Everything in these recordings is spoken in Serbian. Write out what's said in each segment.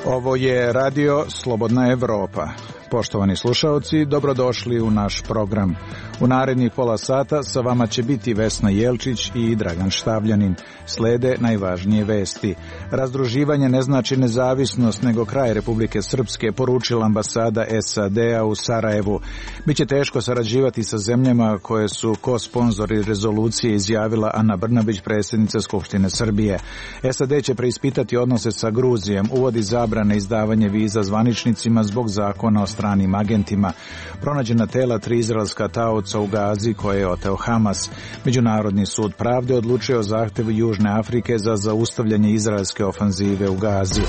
Ovo je radio Slobodna Evropa. Poštovani slušaoci, dobrodošli u naš program. U narednih pola sata sa vama će biti Vesna Jelčić i Dragan Štavljanin. Slede najvažnije vesti. Razdruživanje ne znači nezavisnost, nego kraj Republike Srpske, poručila ambasada SAD-a u Sarajevu. Biće teško sarađivati sa zemljama koje su ko-sponzori rezolucije, izjavila Ana Brnabić, predsjednica Skupštine Srbije. SAD će preispitati odnose sa Gruzijom, uvodi zabrane izdavanje viza zvaničnicima zbog zakona o stranim agentima. Pronađena tela 3 izraelska taoca u Gazi koje je oteo Hamas. Međunarodni sud pravde odlučio o zahtevu Južne Afrike za zaustavljanje izraelske ofanzive u Gazi.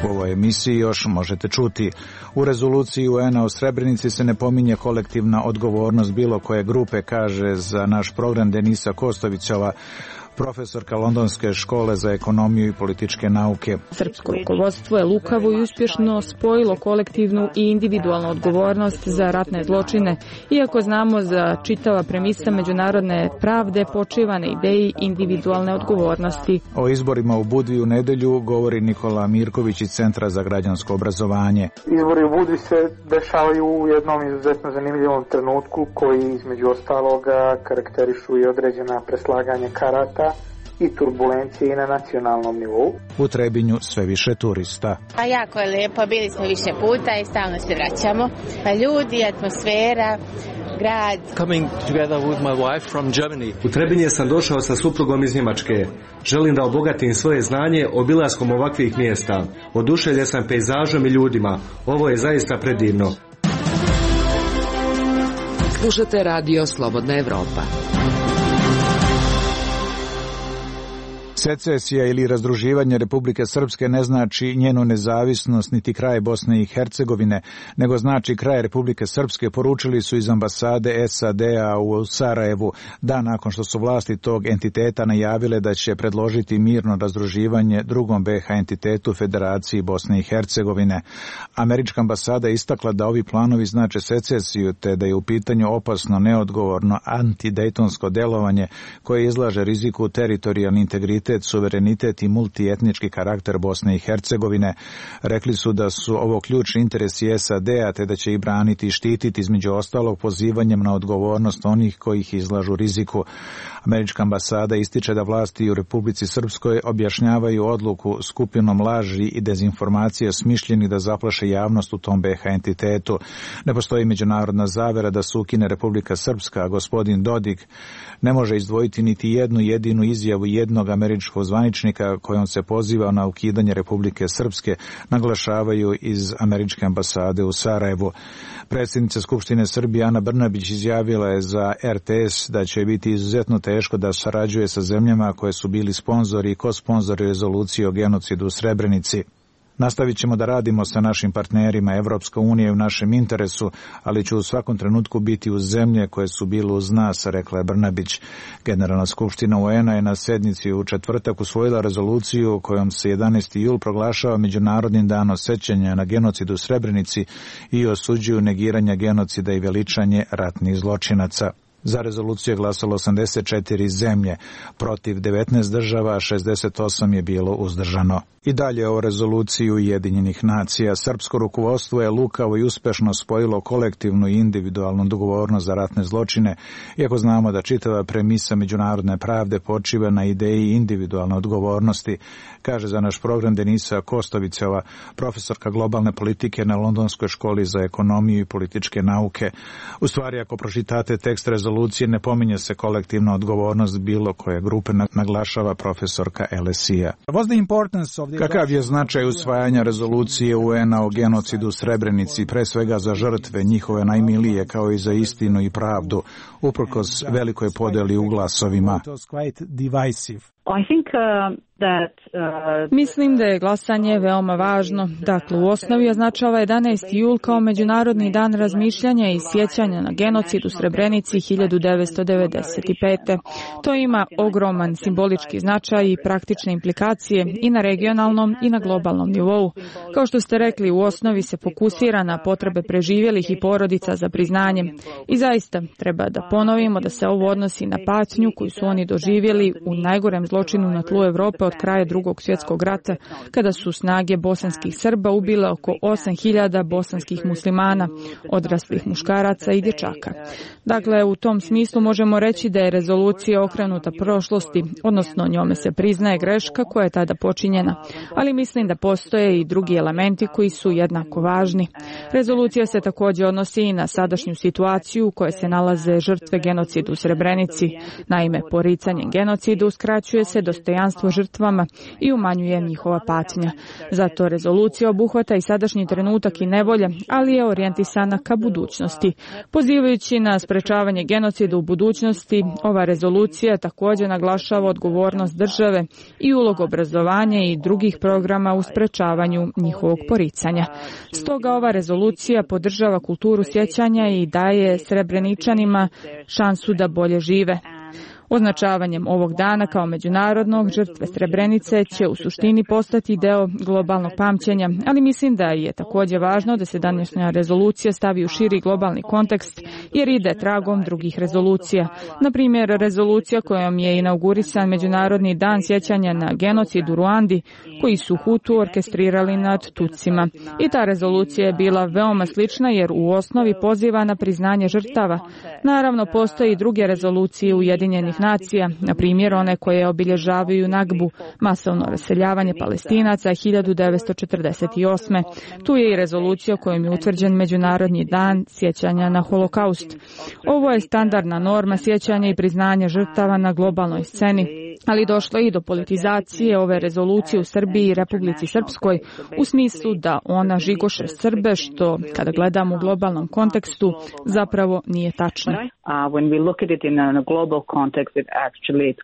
U ovoj emisiji još možete čuti. U rezoluciji UN-a o Srebrenici se ne pominje kolektivna odgovornost bilo koje grupe, kaže za naš program Denisa Kostovićova, profesorka Londonske škole za ekonomiju i političke nauke. Srpsko rukovodstvo je lukavo i uspješno spojilo kolektivnu i individualnu odgovornost za ratne zločine, iako znamo za čitava premisa međunarodne pravde počiva na ideji individualne odgovornosti. O izborima u Budvi u nedelju govori Nikola Mirković iz Centra za građansko obrazovanje. Izbori u Budvi se dešavaju u jednom izuzetno zanimljivom trenutku koji između ostaloga karakterišu i određena preslaganja karata i turbulencije i na nacionalnom nivou. U Trebinju sve više turista. A jako je lijepo, bili smo više puta i stalno se vraćamo. Ljudi, atmosfera, grad. Coming together with my wife from Germany. U Trebinje sam došao sa suprugom iz Njemačke. Želim da obogatim svoje znanje obilaskom ovakvih mjesta. Oduševljen sam pejzažom i ljudima. Ovo je zaista predivno. Slušate radio Slobodna Evropa. Secesija ili razdruživanje Republike Srpske ne znači njenu nezavisnost niti kraj Bosne i Hercegovine, nego znači kraj Republike Srpske, poručili su iz ambasade SAD-a u Sarajevu, dan nakon što su vlasti tog entiteta najavile da će predložiti mirno razdruživanje drugom BiH entitetu Federaciji Bosne i Hercegovine. Američka ambasada je istakla da ovi planovi znače secesiju, te da je u pitanju opasno, neodgovorno antidejtonsko delovanje koje izlaže riziku teritorijalni integritet, suverenitet i multietnički karakter Bosne i Hercegovine. Rekli su da su ovo ključni interesi SAD-a, te da će ih braniti i štititi, između ostalog pozivanjem na odgovornost onih koji ih izlažu riziku. Američka ambasada ističe da vlasti u Republici Srpskoj objašnjavaju odluku skupinom laži i dezinformacija smišljeni da zaplaše javnost u tom BiH entitetu. Ne postoji međunarodna zavera da se ukine Republika Srpska, a gospodin Dodik ne može izdvojiti niti jednu jedinu izjavu jednog američkog zvaničnika kojom se poziva na ukidanje Republike Srpske, naglašavaju iz američke ambasade u Sarajevu. Predsjednica Skupštine Srbije Ana Brnabić izjavila je za RTS da će biti izuzetno teško da sarađuje sa zemljama koje su bili sponzori i ko-sponzori rezolucije o genocidu u Srebrenici. Nastavit ćemo da radimo sa našim partnerima. Evropska unija je u našem interesu, ali će u svakom trenutku biti uz zemlje koje su bile uz nas, rekla je Brnabić. Generalna skupština UN-a je na sednici u četvrtak usvojila rezoluciju kojom se 11. jul proglašava Međunarodnim danom sećanja na genocid u Srebrenici i osuđuju negiranje genocida i veličanje ratnih zločinaca. Za rezoluciju je glasalo 84 zemlje, protiv 19 država, a 68 je bilo uzdržano. I dalje o rezoluciji Ujedinjenih nacija. Srpsko rukovodstvo je lukavo i uspešno spojilo kolektivnu i individualnu odgovornost za ratne zločine, iako znamo da čitava premisa međunarodne pravde počiva na ideji individualne odgovornosti, kaže za naš program Denisa Kostovićova, profesorka globalne politike na Londonskoj školi za ekonomiju i političke nauke. U stvari, ako pročitate tekst rezolucije, ne pominje se kolektivna odgovornost bilo koje grupe, naglašava profesorka LSE-a. Kakav je značaj usvajanja rezolucije UN-a o genocidu u Srebrenici, pre svega za žrtve, njihove najmilije, kao i za istinu i pravdu, uprkos velikoj podeli u glasovima? Mislim da je glasanje veoma važno. Dakle, u osnovi označava 11. jul kao Međunarodni dan razmišljanja i sjećanja na genocid u Srebrenici 1995. To ima ogroman simbolički značaj i praktične implikacije i na regionalnom i na globalnom nivou. Kao što ste rekli, u osnovi se fokusira na potrebe preživjelih i porodica za priznanjem. I zaista treba da ponovimo da se ovo odnosi na patnju koju su oni doživjeli u najgorem zločinu na tlu Evrope od kraja Drugog svjetskog rata, kada su snage bosanskih Srba ubile oko 8.000 bosanskih muslimana, odraslih muškaraca i dječaka. Dakle, u tom smislu možemo reći da je rezolucija okrenuta prošlosti, odnosno njome se priznaje greška koja je tada počinjena, ali mislim da postoje i drugi elementi koji su jednako važni. Rezolucija se također odnosi i na sadašnju situaciju u kojoj se nalaze žrtve genocida u Srebrenici. Naime, poricanjem genocida uskraćuje se dostojanstvo žrtvama i umanjuje njihova patnja. Zato rezolucija obuhvata i sadašnji trenutak i nevolje, ali je orijentisana ka budućnosti. Pozivajući na sprečavanje genocida u budućnosti, ova rezolucija također naglašava odgovornost države i ulogu obrazovanja i drugih programa u sprečavanju njihovog poricanja. Stoga ova rezolucija podržava kulturu sjećanja i daje Srebreničanima šansu da bolje žive. Označavanjem ovog dana kao međunarodnog, žrtve Srebrenice će u suštini postati deo globalnog pamćenja, ali mislim da je također važno da se današnja rezolucija stavi u širi globalni kontekst jer ide tragom drugih rezolucija. Na primjer, rezolucija kojom je inaugurisan Međunarodni dan sjećanja na genocid u Ruandi, koji su Hutu orkestrirali nad Tutsima. I ta rezolucija je bila veoma slična jer u osnovi poziva na priznanje žrtava. Naravno, postoje i druge rezolucije Ujedinjenih nacija, na primjer one koje obilježavaju Nagbu, masovno raseljavanje Palestinaca 1948. Tu je i rezolucija kojom je utvrđen Međunarodni dan sjećanja na Holokaust. Ovo je standardna norma sjećanja i priznanja žrtava na globalnoj sceni, ali došlo je i do politizacije ove rezolucije u Srbiji i Republici Srpskoj u smislu da ona žigoše Srbe, što kada gledamo u globalnom kontekstu zapravo nije tačno. When we look at it in a global context, it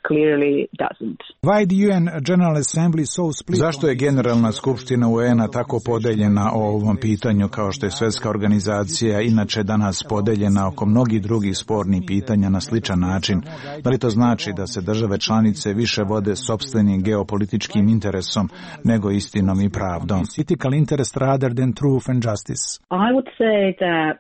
clearly doesn't. Why the UN General Assembly so split? Zašto je Generalna skupština UN-a tako podeljena o ovom pitanju kao što je Svjetska organizacija inače danas podeljena oko mnogih drugih spornih pitanja na sličan način? Da li to znači da se države članice više vode sopstvenim geopolitičkim interesom nego istinom i pravdom? Political interest rather than truth and justice. I would say that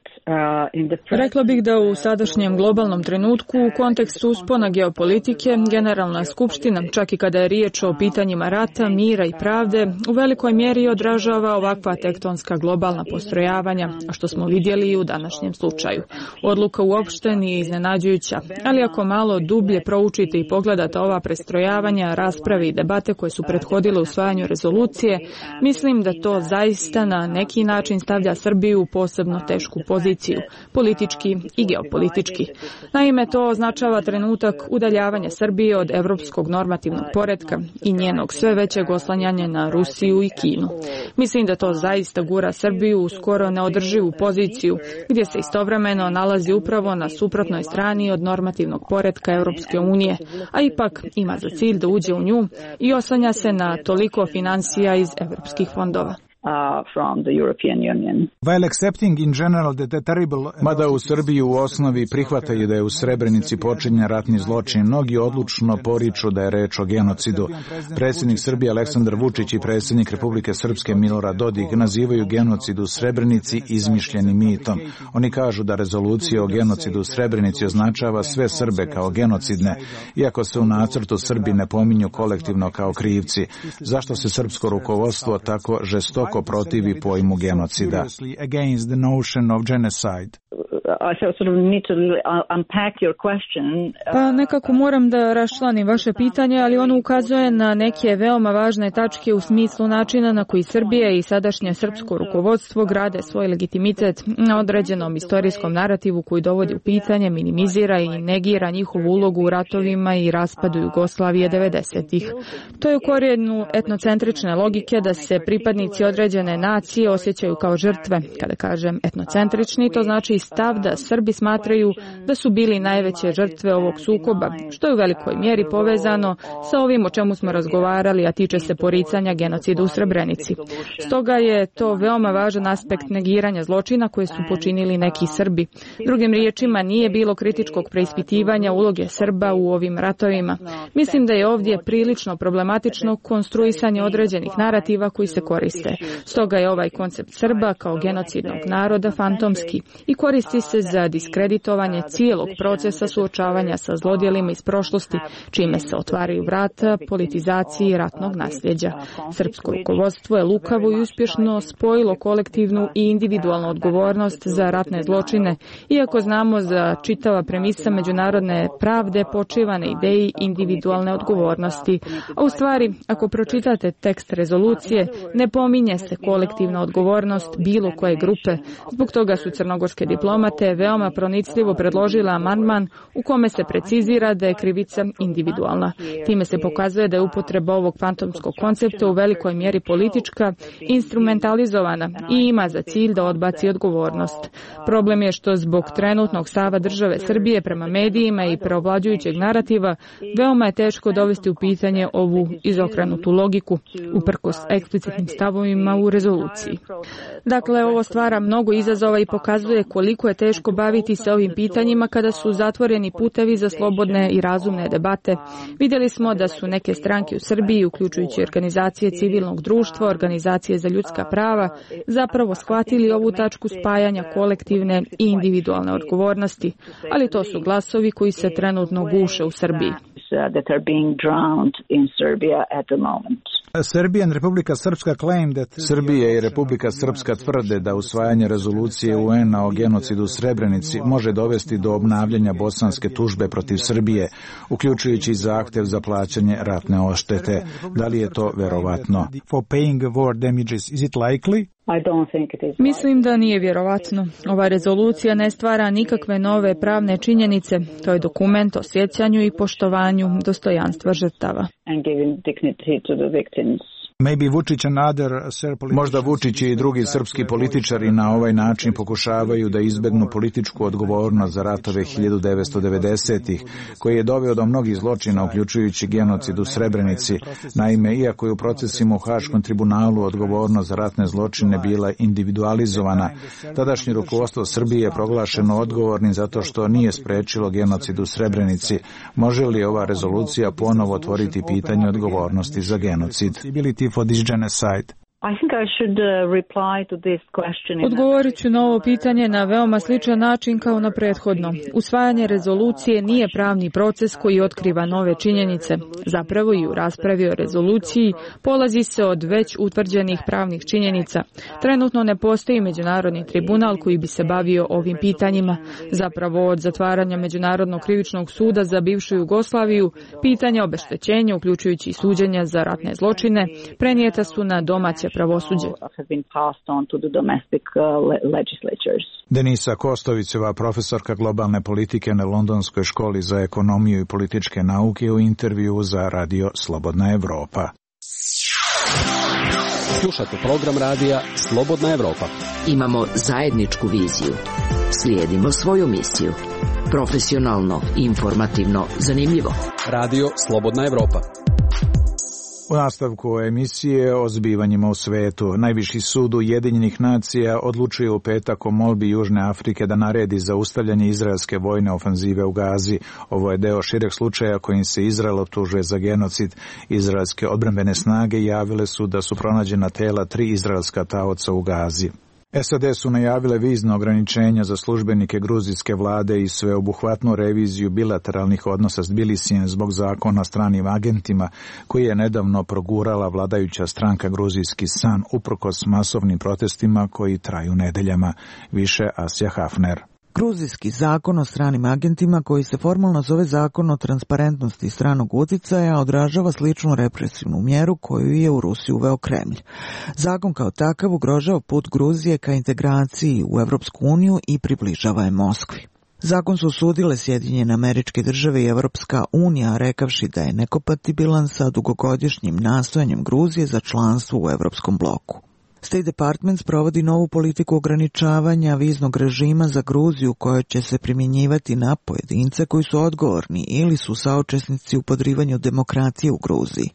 Rekla bih da u sadašnjem globalnom trenutku u kontekstu uspona geopolitike Generalna skupština, čak i kada je riječ o pitanjima rata, mira i pravde, u velikoj mjeri odražava ovakva tektonska globalna postrojavanja, a što smo vidjeli i u današnjem slučaju. Odluka uopšte nije iznenađujuća, ali ako malo dublje proučite i pogledate ova prestrojavanja, rasprave i debate koje su prethodile usvajanju rezolucije, mislim da to zaista na neki način stavlja Srbiju u posebno tešku poziciju, politički i geopolitički. Naime, to označava trenutak udaljavanja Srbije od evropskog normativnog poretka i njenog sve većeg oslanjanja na Rusiju i Kinu. Mislim da to zaista gura Srbiju u skoro neodrživu poziciju, gdje se istovremeno nalazi upravo na suprotnoj strani od normativnog poretka Europske unije, a ipak ima za cilj da uđe u nju i oslanja se na toliko finansija iz evropskih fondova. From the European Union. While accepting in general the terrible... Mada u Srbiji u osnovi prihvataju da je u Srebrenici počinjen ratni zločin, mnogi odlučno poriču da je reč o genocidu. Predsjednik Srbije Aleksandar Vučić i predsjednik Republike Srpske Milorad Dodik nazivaju genocid u Srebrenici izmišljenim mitom. Oni kažu da rezolucija o genocidu u Srebrenici označava sve Srbe kao genocidne, iako se u nacrtu Srbi ne pominju kolektivno kao krivci. Zašto se srpsko rukovodstvo tako žestoko protivi pojmu genocida? Pa nekako moram da raščlanim vaše pitanje, ali ono ukazuje na neke veoma važne tačke u smislu načina na koji Srbija i sadašnje srpsko rukovodstvo grade svoj legitimitet na određenom istorijskom narativu koji dovodi u pitanje, minimizira i negira njihovu ulogu u ratovima i raspadu Jugoslavije 90-ih. To je u korijenu etnocentrične logike da se pripadnici određene nacije osjećaju kao žrtve. Kada kažem etnocentrični, to znači stav pravda, Srbi smatraju da su bili najveće žrtve ovog sukoba, što je u velikoj mjeri povezano sa ovim o čemu smo razgovarali, a tiče se poricanja genocida u Srebrenici. Stoga je to veoma važan aspekt negiranja zločina koje su počinili neki Srbi. Drugim riječima, nije bilo kritičkog preispitivanja uloge Srba u ovim ratovima. Mislim da je ovdje prilično problematično konstruisanje određenih narativa koji se koriste. Stoga je ovaj koncept Srba kao genocidnog naroda fantomski i koristi se za diskreditovanje cijelog procesa suočavanja sa zlodjelima iz prošlosti, čime se otvaraju vrata politizaciji ratnog nasljeđa. Srpsko rukovodstvo je lukavo i uspješno spojilo kolektivnu i individualnu odgovornost za ratne zločine, iako znamo za čitava premisa međunarodne pravde počiva na ideji individualne odgovornosti. A u stvari, ako pročitate tekst rezolucije, ne pominje se kolektivna odgovornost bilo koje grupe. Zbog toga su crnogorske diplomate veoma pronicljivo predložile amandman u kome se precizira da je krivica individualna. Time se pokazuje da je upotreba ovog fantomskog koncepta u velikoj mjeri politička, instrumentalizovana i ima za cilj da odbaci odgovornost. Problem je što zbog trenutnog stava države Srbije prema medijima i preovlađujućeg narativa veoma je teško dovesti u pitanje ovu izokrenutu logiku, uprkos eksplicitnim stavovima u rezoluciji. Dakle, ovo stvara mnogo izazova i pokazuje koliko je teško baviti se ovim pitanjima kada su zatvoreni putevi za slobodne i razumne debate. Vidjeli smo da su neke stranke u Srbiji, uključujući organizacije civilnog društva, organizacije za ljudska prava, zapravo shvatili ovu tačku spajanja kolektivne i individualne odgovornosti, ali to su glasovi koji se trenutno guše u Srbiji. Srbija i Republika Srpska tvrde da usvajanje rezolucije UN-a o genocidu u Srebrenici može dovesti do obnavljanja bosanske tužbe protiv Srbije, uključujući zahtjev za plaćanje ratne odštete. Da li je to verovatno? Mislim da nije vjerovatno. Ova rezolucija ne stvara nikakve nove pravne činjenice. To je dokument o sjećanju i poštovanju dostojanstva žrtava. Možda Vučić i drugi srpski političari na ovaj način pokušavaju da izbegnu političku odgovornost za ratove 1990-ih, koji je doveo do mnogih zločina, uključujući genocid u Srebrenici. Naime, iako je u procesima u Haškom tribunalu odgovornost za ratne zločine bila individualizovana, tadašnje rukovodstvo Srbije je proglašeno odgovornim zato što nije sprečilo genocid u Srebrenici. Može li ova rezolucija ponovo otvoriti pitanje odgovornosti za genocid? Odgovorit ću na ovo pitanje na veoma sličan način kao na prethodno. Usvajanje rezolucije nije pravni proces koji otkriva nove činjenice. Zapravo i u raspravi o rezoluciji polazi se od već utvrđenih pravnih činjenica. Trenutno ne postoji međunarodni tribunal koji bi se bavio ovim pitanjima. Zapravo od zatvaranja Međunarodnog krivičnog suda za bivšu Jugoslaviju, pitanja obeštećenja, uključujući i suđenja za ratne zločine, prenijeta su na domaće pravosuđe. Denisa Kostoviceva, profesorka globalne politike na Londonskoj školi za ekonomiju i političke nauke, u intervju za Radio Slobodna Evropa. Slušate program radija Slobodna Evropa. Imamo zajedničku viziju. Slijedimo svoju misiju. Profesionalno, informativno, zanimljivo. Radio Slobodna Evropa. U nastavku emisije o zbivanjima u svetu, najviši sud Ujedinjenih nacija odlučuje u petak o molbi Južne Afrike da naredi zaustavljanje izraelske vojne ofanzive u Gazi. Ovo je deo šireg slučaja kojim se Izrael optužuje za genocid. Izraelske odbrambene snage javile su da su pronađena tela 3 izraelska taoca u Gazi. SAD su najavile vizno ograničenja za službenike gruzijske vlade i sveobuhvatnu reviziju bilateralnih odnosa s Tbilisijem zbog zakona o stranim agentima koji je nedavno progurala vladajuća stranka Gruzijski san uprkos masovnim protestima koji traju nedeljama. Više Asja Hafner. Gruzijski zakon o stranim agentima, koji se formalno zove Zakon o transparentnosti stranog utjecaja, odražava sličnu represivnu mjeru koju je u Rusiji uveo Kremlj. Zakon kao takav ugrožava put Gruzije ka integraciji u Evropsku uniju i približava je Moskvi. Zakon su osudile Sjedinjene Američke Države i Evropska unija, rekavši da je nekompatibilan sa dugogodišnjim nastojanjem Gruzije za članstvo u Evropskom bloku. State Department provodi novu politiku ograničavanja viznog režima za Gruziju koja će se primjenjivati na pojedince koji su odgovorni ili su saučesnici u podrivanju demokracije u Gruziji,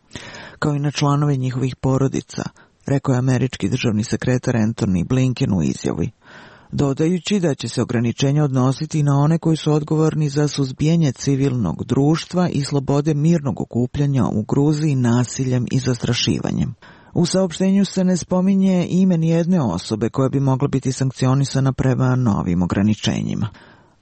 kao i na članove njihovih porodica, rekao je američki državni sekretar Antony Blinken u izjavi, dodajući da će se ograničenja odnositi na one koji su odgovorni za suzbijanje civilnog društva i slobode mirnog okupljanja u Gruziji nasiljem i zastrašivanjem. U saopštenju se ne spominje ime nijedne osobe koja bi mogla biti sankcionisana prema novim ograničenjima.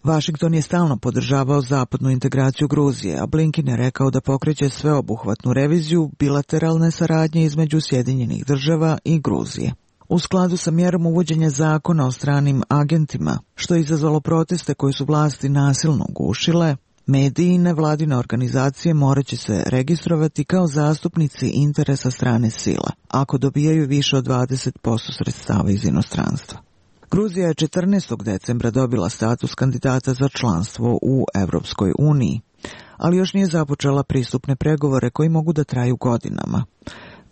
Washington je stalno podržavao zapadnu integraciju Gruzije, a Blinken je rekao da pokreće sveobuhvatnu reviziju bilateralne saradnje između Sjedinjenih država i Gruzije. U skladu sa mjerom uvođenja zakona o stranim agentima, što je izazvalo proteste koje su vlasti nasilno ugušile, mediji i nevladine organizacije morat će se registrovati kao zastupnici interesa strane sila, ako dobijaju više od 20% sredstava iz inostranstva. Gruzija je 14. decembra dobila status kandidata za članstvo u Evropskoj uniji, ali još nije započela pristupne pregovore koji mogu da traju godinama.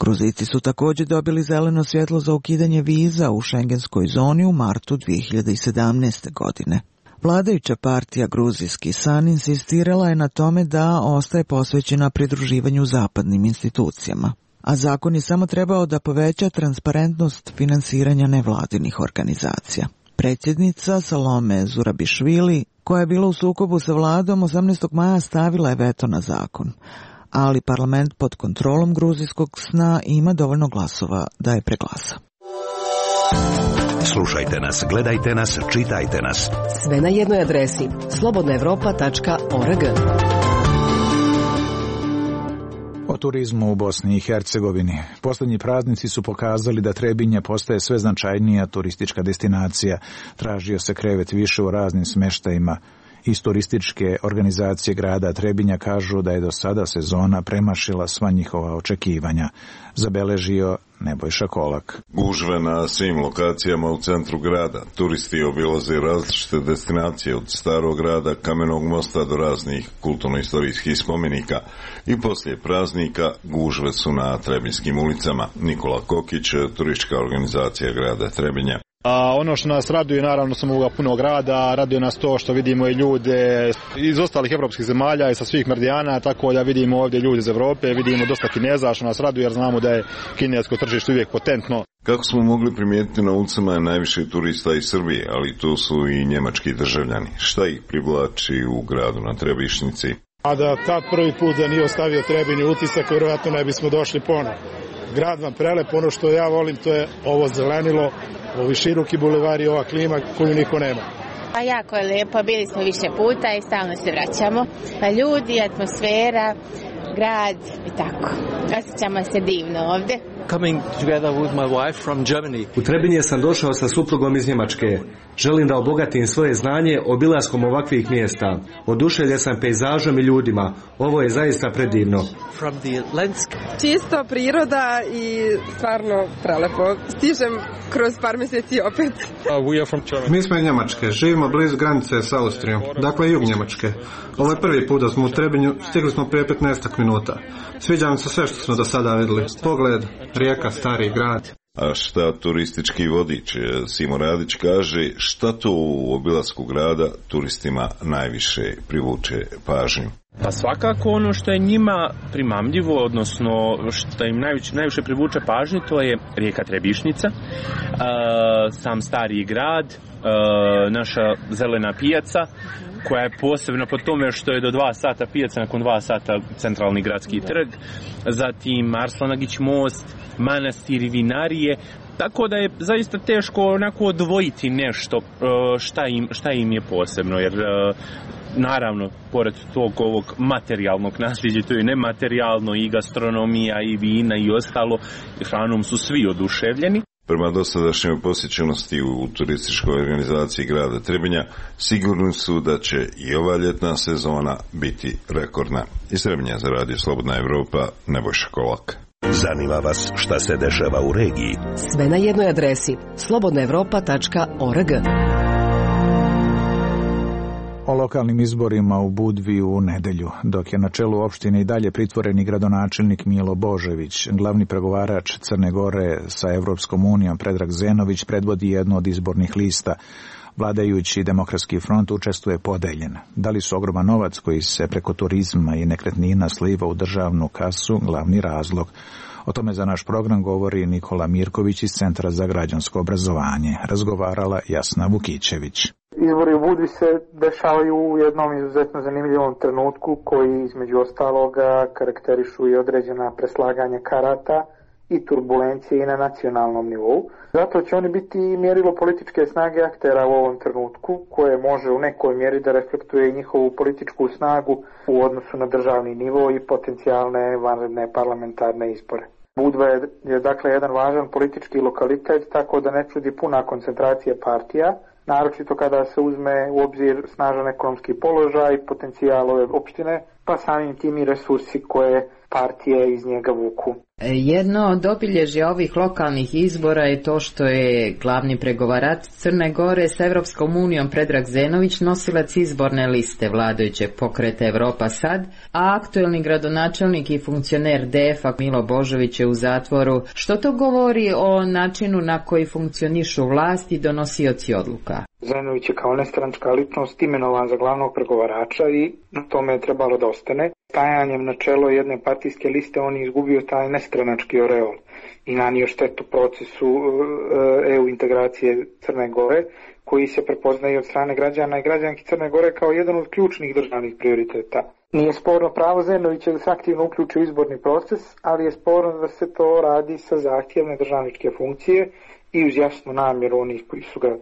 Gruzijci su također dobili zeleno svjetlo za ukidanje viza u šengenskoj zoni u martu 2017. godine. Vladajuća partija Gruzijski san insistirala je na tome da ostaje posvećena pridruživanju zapadnim institucijama, a zakon je samo trebao da poveća transparentnost finansiranja nevladinih organizacija. Predsjednica Salome Zurabišvili, koja je bila u sukobu sa vladom, 18. maja stavila je veto na zakon, ali parlament pod kontrolom gruzijskog sna ima dovoljno glasova da je preglasa. Slušajte nas, gledajte nas, čitajte nas. Sve na jednoj adresi slobodnaevropa.org. O turizmu u Bosni i Hercegovini. Posljednji praznici su pokazali da Trebinje postaje sve značajnija turistička destinacija. Tražio se krevet više u raznim smještajima. Iz turističke organizacije grada Trebinja kažu da je do sada sezona premašila sva njihova očekivanja. Zabeležio Nebojša Kolak. Gužve na svim lokacijama u centru grada. Turisti obilaze različite destinacije od starog grada, Kamenog mosta do raznih kulturno-istorijskih spomenika. I poslije praznika gužve su na Trebinjskim ulicama. Nikola Kokić, turistička organizacija grada Trebinja. Ono što nas raduje, naravno, sam ovoga punog grada, raduje nas to što vidimo i ljude iz ostalih evropskih zemalja i sa svih meridijana, tako da vidimo ovdje ljude iz Europe, vidimo dosta Kineza, što nas raduje jer znamo da je kinesko tržište uvijek potentno. Kako smo mogli primijetiti, na ulicama je najviše turista iz Srbije, ali tu su i njemački državljani. Šta ih privlači u gradu na Trebišnici? A da tad prvi put da nije ostavio Trebinju utisak, vjerojatno ne bismo došli ponovo. Grad vam prelep, ono što ja volim to je ovo zelenilo, ovi široki bulevari, ova klima koju niko nema. A jako je lijepo, bili smo više puta i stalno se vraćamo. Ljudi, atmosfera, grad i tako. Osjećamo se divno ovdje. Coming together with my wife from Germany. U Trebinje sam došao sa suprugom iz Njemačke. Želim da obogatim svoje znanje obilaskom ovakvih mjesta. Oduševljen sam pejzažom i ljudima. Ovo je zaista predivno. From the landscape. Čisto priroda i stvarno prelepo. Stižem kroz par mjeseci opet. We are from Germany. Mi smo iz Njemačke. Živimo blizu granice s Austrijom. Dakle, jug Njemačke. Ovo je prvi put da smo u Trebinju. Stigli smo prije 15 minuta. Sviđa nam se sve što smo do sada vidjeli. Pogled, rijeka, stari grad. A šta turistički vodič Simo Radić kaže, šta to u obilasku grada turistima najviše privuče pažnju? Pa svakako ono što je njima primamljivo, odnosno što im najviše privuče pažnju, to je rijeka Trebišnica, sam stari grad, naša zelena pijaca, koja je posebna po tome što je do 2 sata pijaca, nakon 2 sata centralni gradski trg, zatim Arslanagić most, manastir i vinarije, tako da je zaista teško onako odvojiti nešto šta im je posebno, jer naravno, pored tog ovog materijalnog nasljeđa, to je nematerijalno i gastronomija i vina i ostalo, hranom su svi oduševljeni. Prema dosadašnjoj posjećenosti u turističkoj organizaciji grada Trebinja, sigurni su da će i ova ljetna sezona biti rekordna. Iz Trebinja za radio Slobodna Evropa, Nebojša Kolak. Zanima vas šta se dešava u regiji? Sve na jednoj adresi slobodnaevropa.org. O lokalnim izborima u Budvi u nedelju, dok je na čelu opštine i dalje pritvoreni gradonačelnik Milo Božević, glavni pregovarač Crne Gore sa Evropskom unijom Predrag Zenović predvodi jednu od izbornih lista. Vladajući Demokratski front učestvuje podeljen. Da li su ogroman novac koji se preko turizma i nekretnina sliva u državnu kasu glavni razlog? O tome za naš program govori Nikola Mirković iz Centra za građansko obrazovanje. Razgovarala Jasna Vukićević. Izbori u Budvi se dešavaju u jednom izuzetno zanimljivom trenutku koji između ostaloga karakterišu i određena preslaganja karata i turbulencije i na nacionalnom nivou. Zato će oni biti mjerilo političke snage aktera u ovom trenutku, koje može u nekoj mjeri da reflektuje njihovu političku snagu u odnosu na državni nivo i potencijalne vanredne parlamentarne izbore. Budva je dakle jedan važan politički lokalitet, tako da ne čudi puna koncentracija partija, naročito kada se uzme u obzir snažan ekonomski položaj i potencijal ove opštine, pa samim tim i resursi koje partije iz njega vuku. Jedno od obilježja ovih lokalnih izbora je to što je glavni pregovarač Crne Gore s Evropskom unijom Predrag Zenović nosilac izborne liste vladajućeg pokreta Evropa Sad, a aktuelni gradonačelnik i funkcioner DF-a Milo Božević je u zatvoru. Što to govori o načinu na koji funkcionišu vlast i donosioci odluka? Zenović je kao nestranačka ličnost imenovan za glavnog pregovarača i na tome je trebalo da ostane. Stajanjem na čelo jedne partijske liste on je izgubio taj nestranački oreol i nanio štetu procesu EU integracije Crne Gore, koji se prepoznaje od strane građana i građanki Crne Gore kao jedan od ključnih državnih prioriteta. Nije sporno pravo Zenovića da se aktivno uključi u izborni proces, ali je sporno da se to radi sa zahtjevne državničke funkcije i uz jasnu namjeru onih koji su ga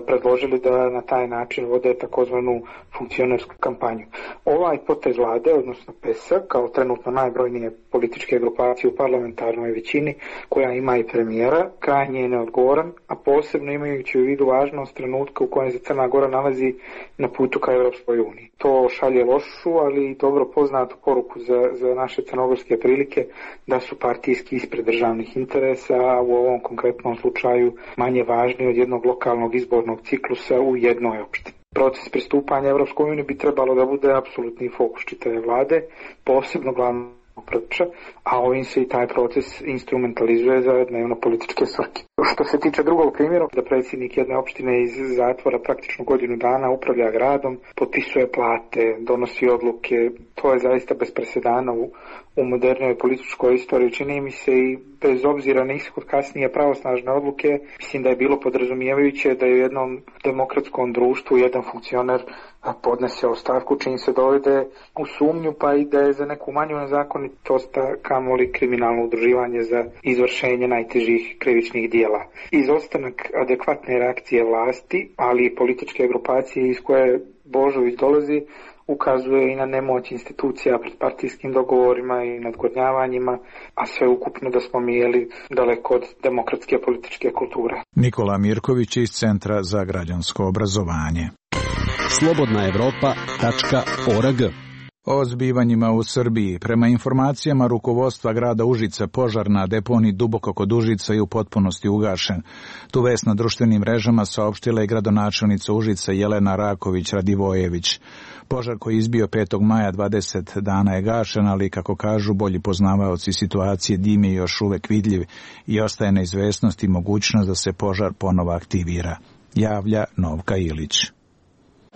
predložili da na taj način vode takozvanu funkcionersku kampanju. Ovaj potez vlade, odnosno PES, kao trenutno najbrojnije političke grupacije u parlamentarnoj većini, koja ima i premijera, krajnje je neodgovoran, a posebno imajući u vidu važnost trenutka u kojem se Crna Gora nalazi na putu ka Evropskoj uniji. To šalje lošu, ali i dobro poznatu poruku za naše crnogorske prilike da su partijski ispred državnih interesa, a u ovom konkretnom slučaju manje važni od jednog lokalnog izbornog ciklusa u jednoj opštini. Proces pristupanja Evropskoj uniji bi trebalo da bude apsolutni fokus čitave vlade, posebno glavnog pregovarača, a ovim se i taj proces instrumentalizuje za dnevno političke svrhe. Što se tiče drugog primjera, da predsjednik jedne opštine iz zatvora praktično godinu dana upravlja gradom, potpisuje plate, donosi odluke, to je zaista bez presedana u modernoj političkoj istoriji. Čini mi se i bez obzira na ishod kasnije pravosnažne odluke, mislim da je bilo podrazumijevajuće da je u jednom demokratskom društvu jedan funkcioner podnese ostavku čim se dovede u sumnju, pa i da je za neku manju nezakonitost, kamoli kriminalno udruživanje za izvršenje najtežih krivičnih dijela. Izostanak adekvatne reakcije vlasti, ali i političke grupacije iz koje Božović dolazi, ukazuje i na nemoć institucija pred partijskim dogovorima i nadgornjavanjima, a sve ukupno da smo mi daleko od demokratske političke kulture. Nikola Mirković iz Centra za građansko obrazovanje. slobodnaevropa.org. O zbivanjima u Srbiji. Prema informacijama rukovodstva grada Užica, požar na deponiji duboko kod Užica je u potpunosti ugašen. Tu vest na društvenim mrežama saopštila je gradonačelnica Užica Jelena Raković-Radivojević. Požar koji je izbio 5. maja 20 dana je gašen, ali kako kažu bolji poznavaoci situacije, dim je još uvek vidljiv i ostaje neizvesnost i mogućnost da se požar ponovo aktivira. Javlja Novka Ilić.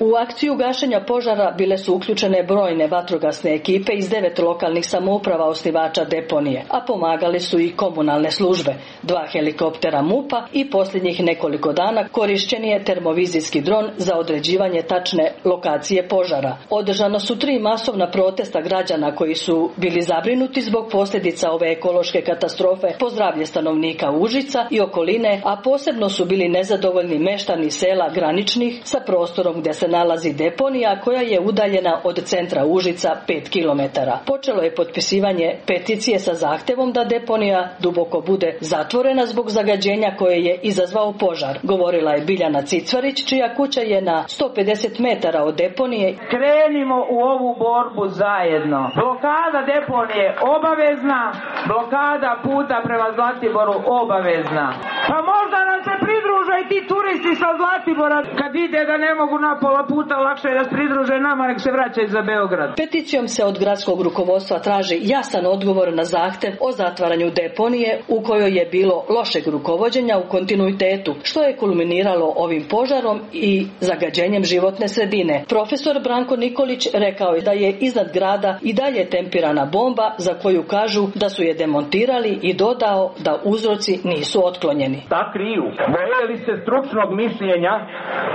U akciju gašenja požara bile su uključene brojne vatrogasne ekipe iz 9 lokalnih samouprava osnivača deponije, a pomagale su i komunalne službe, 2 helikoptera MUP-a i posljednjih nekoliko dana korišćen je termovizijski dron za određivanje tačne lokacije požara. Održano su 3 masovna protesta građana koji su bili zabrinuti zbog posljedica ove ekološke katastrofe po zdravlje stanovnika Užica i okoline, a posebno su bili nezadovoljni meštani sela graničnih sa prostorom gdje se nalazi deponija koja je udaljena od centra Užica 5 km. Počelo je potpisivanje peticije sa zahtjevom da deponija duboko bude zatvorena zbog zagađenja koje je izazvao požar. Govorila je Biljana Cicvarić, čija kuća je na 150 metara od deponije. Krenimo u ovu borbu zajedno. Blokada deponije obavezna, blokada puta prema Zlatiboru obavezna. Pa možda nam se pridruže i ti turisti sa Zlatibora kad ide da ne mogu na pola puta lakše da se pridruže nama, nek se vraćaju za Beograd. Peticijom se od gradskog rukovodstva traži jasan odgovor na zahtev o zatvaranju deponije u kojoj je bilo lošeg rukovođenja u kontinuitetu, što je kulminiralo ovim požarom i zagađenjem životne sredine. Profesor Branko Nikolić rekao je da je iznad grada i dalje tempirana bomba za koju kažu da su je demontirali i dodao da uzroci nisu otklonjeni. Ta kriju, boje li se stručnog mišljenja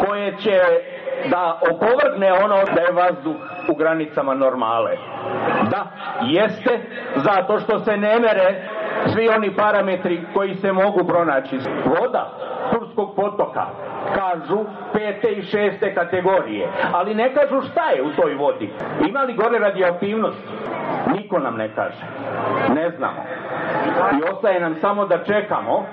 koje će da opovrgne ono da je vazduh u granicama normale? Da, jeste, zato što se ne mere svi oni parametri koji se mogu pronaći. Voda Turskog potoka kažu 5. i 6. kategorije, ali ne kažu šta je u toj vodi. Ima li gore radioaktivnost? Niko nam ne kaže. Ne znamo. I ostaje nam samo da čekamo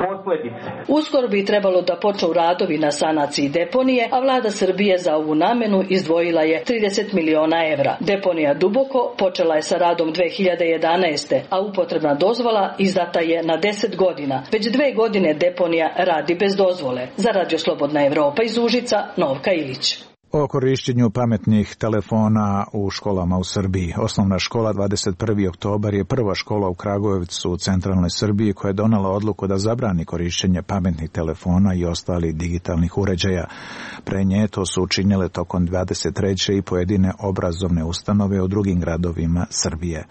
posledice. Uskoro bi trebalo da počnu radovi na sanaciji deponije, a vlada Srbije za ovu namenu izdvojila je 30 miliona evra. Deponija Duboko počela je sa radom 2011. a upotrebna dozvola izdata je na 10 godina. Već 2 godine deponija radi bez dozvole. Za Radio Slobodna Evropa iz Užica, Novka Ilić. O korišćenju pametnih telefona u školama u Srbiji. Osnovna škola 21. oktobar je prva škola u Kragujevcu u centralnoj Srbiji koja je donela odluku da zabrani korišćenje pametnih telefona i ostalih digitalnih uređaja. Pre nje to su učinile tokom 23. i pojedine obrazovne ustanove u drugim gradovima Srbije.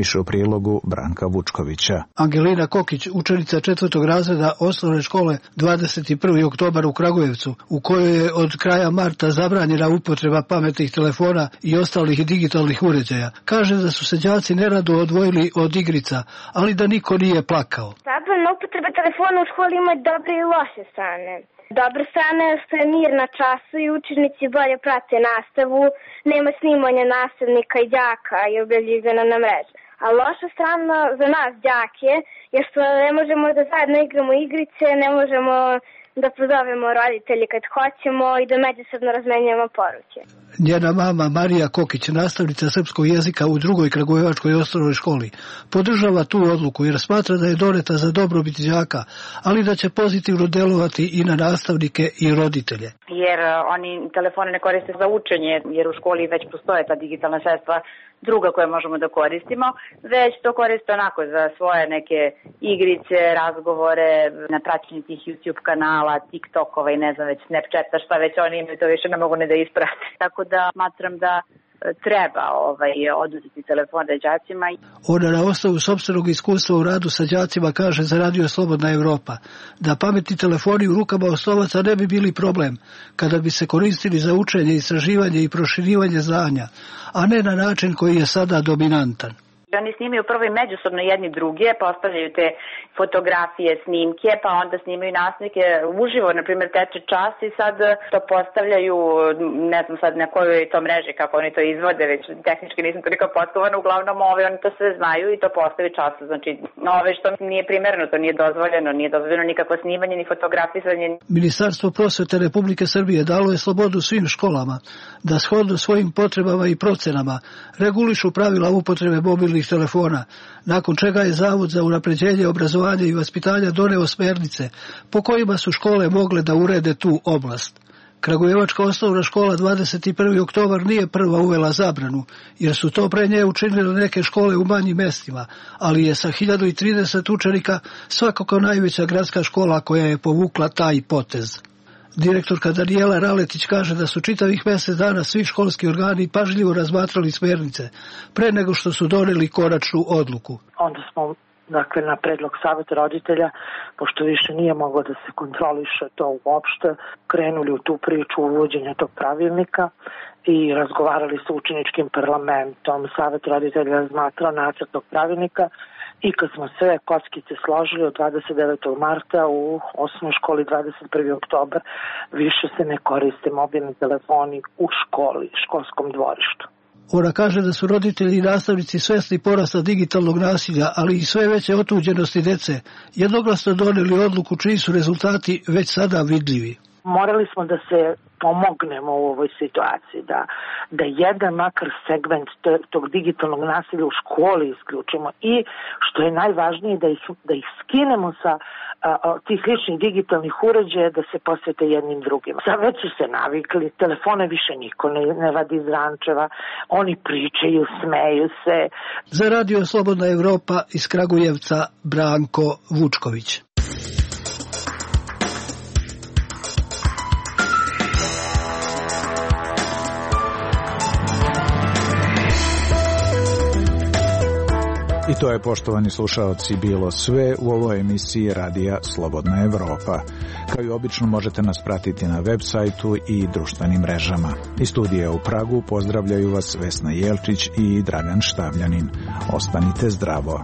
Više u prilogu Branka Vučkovića. Angelina Kokić, učenica 4. razreda osnovne škole 21. oktobar u Kragujevcu, u kojoj je od kraja marta zabranjena upotreba pametnih telefona i ostalih digitalnih uređaja. Kaže da su se đaci nerado odvojili od igrica, ali da niko nije plakao. Zabrana upotreba telefona u školi ima dobre i loše strane. Dobra strana je što je mir na času i učenici bolje prate nastavu, nema snimanja nastavnika i đaka i objavljivanja na mreže. A loša strana za nas đake je što ne možemo da zajedno igramo igrice, ne možemo da pozovemo roditelji kad hoćemo i da međusobno razmenjujemo poruke. Njena mama Marija Kokić, nastavnica srpskog jezika u 2. Kragujevačkoj osnovnoj školi, podržava tu odluku jer smatra da je doneta za dobrobit đaka, ali da će pozitivno delovati i na nastavnike i roditelje. Jer oni telefone ne koriste za učenje, jer u školi već postoje ta digitalna sredstva druga koje možemo da koristimo, već to koriste onako za svoje neke igrice, razgovore, na praćenju tih YouTube kanala, TikTokova i ne znam već Snapchata, šta već oni imaju, to više ne mogu ne da isprate. Tako da smatram da treba oduzeti telefone đacima. Ona na osnovu sopstvenog iskustva u radu sa đacima kaže za Radio Slobodna Evropa da pametni telefoni u rukama osnovaca ne bi bili problem kada bi se koristili za učenje, istraživanje i proširivanje znanja, a ne na način koji je sada dominantan. Oni snimaju prvo i međusobno jedni druge, postavljaju te fotografije, snimke, pa onda snimaju nastavnike uživo, na primjer teče čas i sad to postavljaju, ne znam sad na kojoj je to mreži, kako oni to izvode, već tehnički nisam toliko potkovana, uglavnom oni to sve znaju i to postavi času, znači što nije primereno, to nije dozvoljeno nikakvo snimanje ni fotografisanje. Ministarstvo prosvete Republike Srbije dalo je slobodu svim školama da shodno svojim potrebama i procenama regulišu pravila upotrebe mobilnih telefona, nakon čega je Zavod za unapređenje obrazovanja i vaspitanja doneo smernice po kojima su škole mogle da urede tu oblast. Kragujevačka osnovna škola 21. oktobar nije prva uvela zabranu, jer su to pre nje učinile neke škole u manjim mestima, ali je sa 1030 učenika svakako najveća gradska škola koja je povukla taj potez. Direktorka Danijela Raletić kaže da su čitavih mjesec dana svi školski organi pažljivo razmatrali smernice pre nego što su doneli konačnu odluku. Onda smo na predlog saveta roditelja, pošto više nije moglo da se kontroliše to uopšte, krenuli u tu priču uvođenja tog pravilnika i razgovarali sa učeničkim parlamentom. Savet roditelja razmatrao nacrt tog pravilnika i kad smo sve kockice složili od 29. marta u osnovnoj školi 21. oktobar više se ne koriste mobilni telefoni u školi, školskom dvorištu. Ona kaže da su roditelji i nastavnici svesni porasta digitalnog nasilja, ali i sve veće otuđenosti dece, jednoglasno doneli odluku čiji su rezultati već sada vidljivi. Morali smo da se pomognemo u ovoj situaciji, da jedan makar segment tog digitalnog nasilja u školi isključimo i što je najvažnije da ih skinemo sa tih ličnih digitalnih uređaja, da se posvete jednim drugima. Sad već su se navikli, telefone više niko ne vadi iz rančeva, oni pričaju, smeju se. Za Radio Slobodna Evropa iz Kragujevca Branko Vučković. I to je, poštovani slušaoci, bilo sve u ovoj emisiji Radija Slobodna Evropa. Kao i obično možete nas pratiti na web sajtu i društvenim mrežama. Iz studija u Pragu pozdravljaju vas Vesna Jelčić i Dragan Štavljanin. Ostanite zdravo.